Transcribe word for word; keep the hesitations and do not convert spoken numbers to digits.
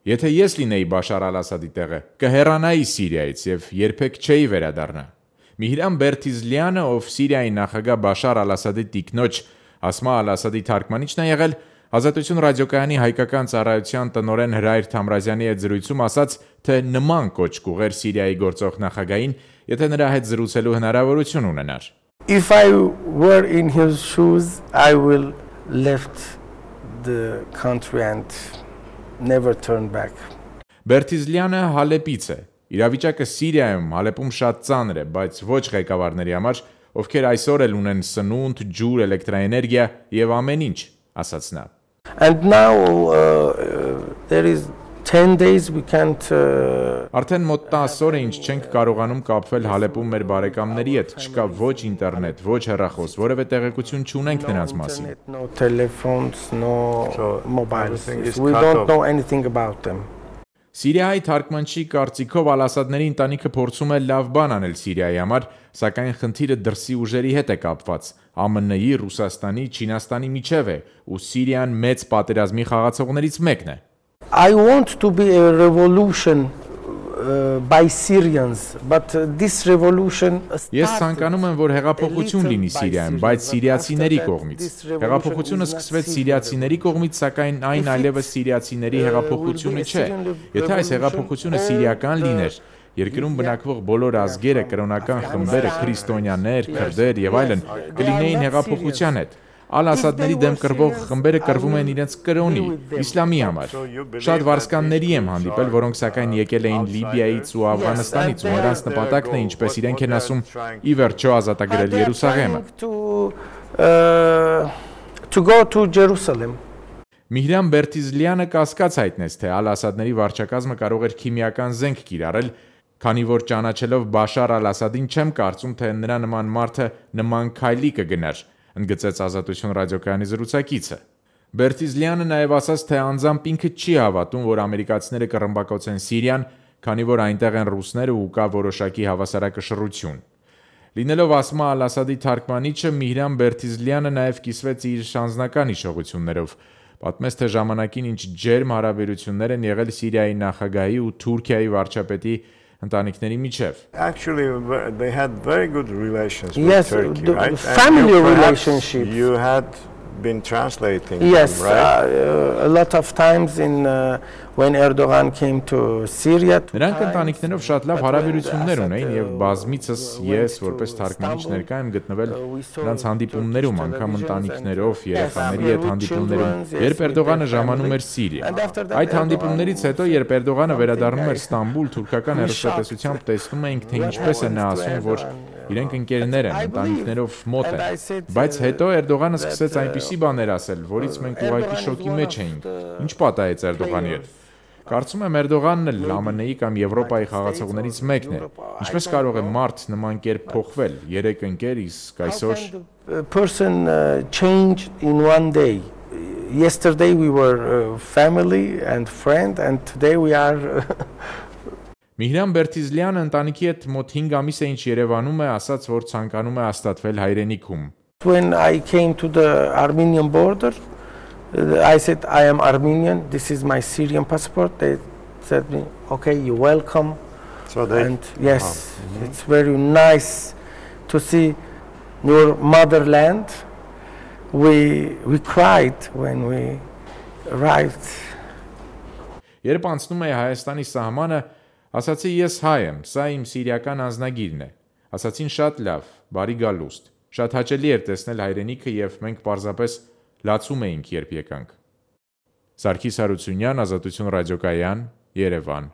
Եթե ես լինեի Բաշար Ալ-Ասադի տեղը, կհեռանայի Սիրիայից եւ երբեք չէի վերադառնա։ Միհրան Բերթիզլյանը, ով Սիրիայի նախագահ Բաշար Ալ-Ասադի տիկնոջ Ասմա Ալ-Ասադի թարգմանիչն է եղել, Ազատություն ռադիոկայանի հայկական ծառայության տնօրեն Հրայր Թամրազյանի հետ զրույցում ասաց, թե նման կոչ կուղեր Սիրիայի գործող նախագահին, եթե նրա հետ զրուցելու հնարավորություն ունենար։ If I were in his shoes, I will left the country and never turn back. Բերթիզլյանը Հալեպից է։ Իրավիճակը Սիրիայում, Հալեպում շատ ծանր է, բայց ոչ ղեկավարների համար, ովքեր այսօր էլ ունեն սնունդ, ջուր, էլեկտրաէներգիա եւ ամեն ինչ, ասաց նա։ And now uh, there is ten days we can't uh, Արդեն մոտ տասը օր է ինչ չենք կարողանում կապվել Հալեպում մեր բարեկամների հետ, չկա ոչ ինտերնետ, ոչ հեռախոս, որևէ տեղեկություն չունենք նրանց մասին։ No telephones, no mobiles. We don't know anything about them. Սիրիայի թարգմանչի կարծիքով Ալ-Ասադների ընտանիքը փորձում է լավ բան անել Սիրիայի համար, սակայն խնդիրը դրսի ուժերի հետ է կապված։ Ա Մ Ն-ի, Ռուսաստանի, Չինաստանի միջև է, ու Սիրիան մեծ պատերազմի խաղացողներից մեկն է։ I want to be a revolution uh, by Syrians, but uh, this revolution Ես ցանկանում եմ, որ հեղափոխություն լինի Սիրիայում, բայց սիրիացիների կողմից։ Հեղափոխությունը սկսվեց սիրիացիների կողմից, սակայն այն այլևս սիրիացիների հեղափոխությունը չէ։ Եթե այս հեղափոխությունը սիրիական լիներ, երկրում բնակվող բոլոր ազգերը, կրոնական խմբերը, քրիստոնյաներ, քրդեր եւ այլն կլինեին հեղափոխության հետ։ Ալ-Ասադների դեմ կռվող խմբերը կռվում են իրենց կրոնի, իսլամի համար։ Շատ վարձկանների եմ հանդիպել, որոնք սակայն եկել էին Լիբիայից ու Աֆղանստանից, ու նրանց նպատակն է, ինչպես իրենք են ասում, ի վերջո ազատագրել Երուսաղեմը։ To go to Jerusalem. Միհրան Բերթիզլյանը կասկած հայտնեց, թե Ալ-Ասադների վարչակազմը կարող էր քիմիական զենք կիրառել, քանի որ ճանաչելով Բաշար Ալ-Ասադին չեմ կարծում, թե նրա նման մարդը նման քայլի կգնար, ընդգծեց Ազատություն ռադիոկայանի զրուցակիցը։ Բերթիզլյանը նաև ասաց, թե անձամբ ինքը չի հավատում, որ ամերիկացիները կռմբակոծեն Սիրիան, քանի որ այնտեղ են ռուսները ու կա որոշակի հավասարակշռություն։ Լինելով Ասմա Ալ-Ասադի թարգմանիչը, Միհրան Բերթիզլյանը նաև կիսվեց իր անձնական հիշողություններով, պատմեց, թե ժամանակին ինչ ջերմ հարաբերություններ են եղել Սիրիայի նախագահի ու Թուրքիայի վարչապետի ընտանիքների միջև։ Actually, they had very good relations with Yes, Turkey, the right? family And you perhaps relationships. You had been translating Yes, them, right? uh, a lot of times in uh, when Erdogan came to Syria. Նրանք ընտանիքներով շատ լավ հարաբերություններ ունեին եւ բազմիցս ես որպես թարգմանիչ ներկա եմ գտնվել նրանց հանդիպումներում, անգամ ընտանիքներով, երեխաների հետ հանդիպումներում, երբ Էրդողանը ժամանում էր Սիրիա։ Այդ հանդիպումներից հետո, երբ Էրդողանը վերադառնում էր Ստամբուլ, թուրքական հեռուստատեսությամբ տեսնում էինք, թե ինչպես է նա ասում, որ իրենք ընկերներ են, ընտանիքներով մոտ են։ Բայց հետո Էրդողանը սկսեց այնպիսի բաներ ասել, որից մենք ուղղակի շոկի մեջ էինք։ Ինչ պատահեց Էրդողանի հետ։ Կարծում եմ Էրդողանն էլ Ա Մ Ն-ի կամ Եվրոպայի խաղացողներից մեկն է։ Ինչպես կարող է մարդ նման կերպ փոխվել, երեք ընկեր, իսկ այսօր person uh, changed in one day. Yesterday we were uh, family and friend, and today we are. Միհրան Բերթիզլյանը ընտանիքի հետ մոտ հինգ ամիս է ինչ Երևանում է, ասաց, որ ցանկանում է հաստատվել հայրենիքում։ When I came to the Armenian border, I said I am Armenian. This is my Syrian passport. They said me, okay, you're welcome. So they, and yes, oh, mm-hmm. It's very nice to see your motherland. We we cried when we arrived. Երբ անցնում էի Հայաստանի սահմանը, ասացի ես հայ եմ, սա իմ սիրիական անձնագիրն է։ Ասացին շատ լավ, բարի գալուստ։ Շատ հաճելի էր տեսնել հայրենիքը եւ մենք պարզապես լացում էինք, երբ եկանք։ Սարգիս Հարությունյան, Ազատություն ռադիոկայան, Երևան։